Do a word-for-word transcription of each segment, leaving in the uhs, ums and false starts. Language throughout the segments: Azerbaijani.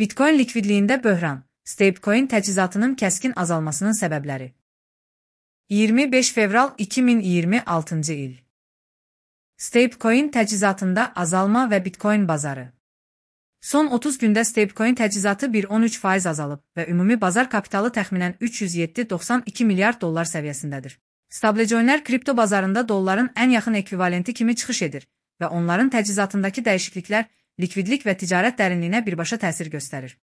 Bitcoin likvidliyində böhran, stablecoin təchizatının kəskin azalmasının səbəbləri. iyirmi beş fevral iki min iyirmi altıncı il. Stablecoin təchizatında azalma və Bitcoin bazarı. Son otuz gündə stablecoin təchizatı bir nöqtə on üç faiz azalıb və ümumi bazar kapitalı təxminən üç yüz yeddi nöqtə doxsan iki milyard dollar səviyyəsindədir. Stablecoinlər kripto bazarında dolların ən yaxın ekvivalenti kimi çıxış edir və onların təchizatındakı dəyişikliklər likvidlik və ticarət dərinliyinə birbaşa təsir göstərir.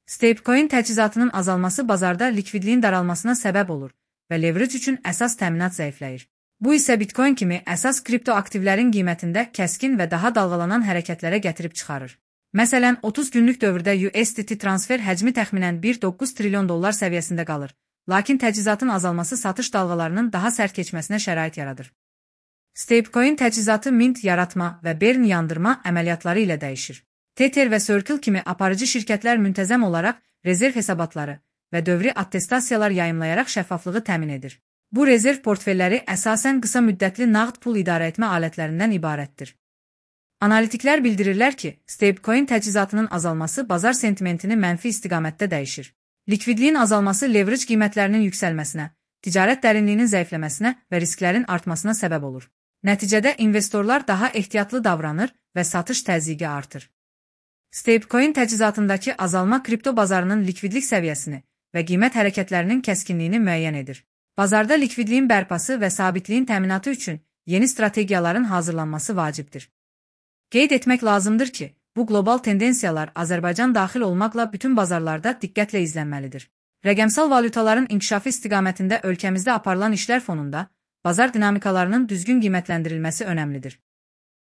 Stablecoin təchizatının azalması bazarda likvidliyin daralmasına səbəb olur və leverage üçün əsas təminat zəifləyir. Bu isə Bitcoin kimi əsas kripto aktivlərin qiymətində kəskin və daha dalğalanan hərəkətlərə gətirib çıxarır. Məsələn, otuz günlük dövrdə U S D T transfer həcmi təxminən bir nöqtə doqquz trilyon dollar səviyyəsində qalır, lakin təchizatın azalması satış dalğalarının daha sərt keçməsinə şərait yaradır. Stablecoin təchizatı mint yaratma və burn yandırma əməliyyatları ilə dəyişir. Tether və Circle kimi aparıcı şirkətlər müntəzəm olaraq rezerv hesabatları və dövri attestasiyalar yayımlayaraq şəffaflığı təmin edir. Bu rezerv portfelləri əsasən qısa müddətli nağd pul idarə etmə alətlərindən ibarətdir. Analitiklər bildirirlər ki, stablecoin təchizatının azalması bazar sentimentini mənfi istiqamətdə dəyişir. Likvidliyin azalması leverage qiymətlərinin yüksəlməsinə, ticarət dərinliyinin zəifləməsinə və risklərin artmasına səbəb olur. Nəticədə investorlar daha ehtiyatlı davranır və satış təzyiqi artır. Stablecoin təchizatındakı azalma kripto bazarının likvidlik səviyyəsini və qiymət hərəkətlərinin kəskinliyini müəyyən edir. Bazarda likvidliyin bərpası və sabitliyin təminatı üçün yeni strategiyaların hazırlanması vacibdir. Qeyd etmək lazımdır ki, bu qlobal tendensiyalar Azərbaycan daxil olmaqla bütün bazarlarda diqqətlə izlənməlidir. Rəqəmsal valyutaların inkişafı istiqamətində ölkəmizdə aparılan işlər fonunda bazar dinamikalarının düzgün qiymətləndirilməsi önəmlidir.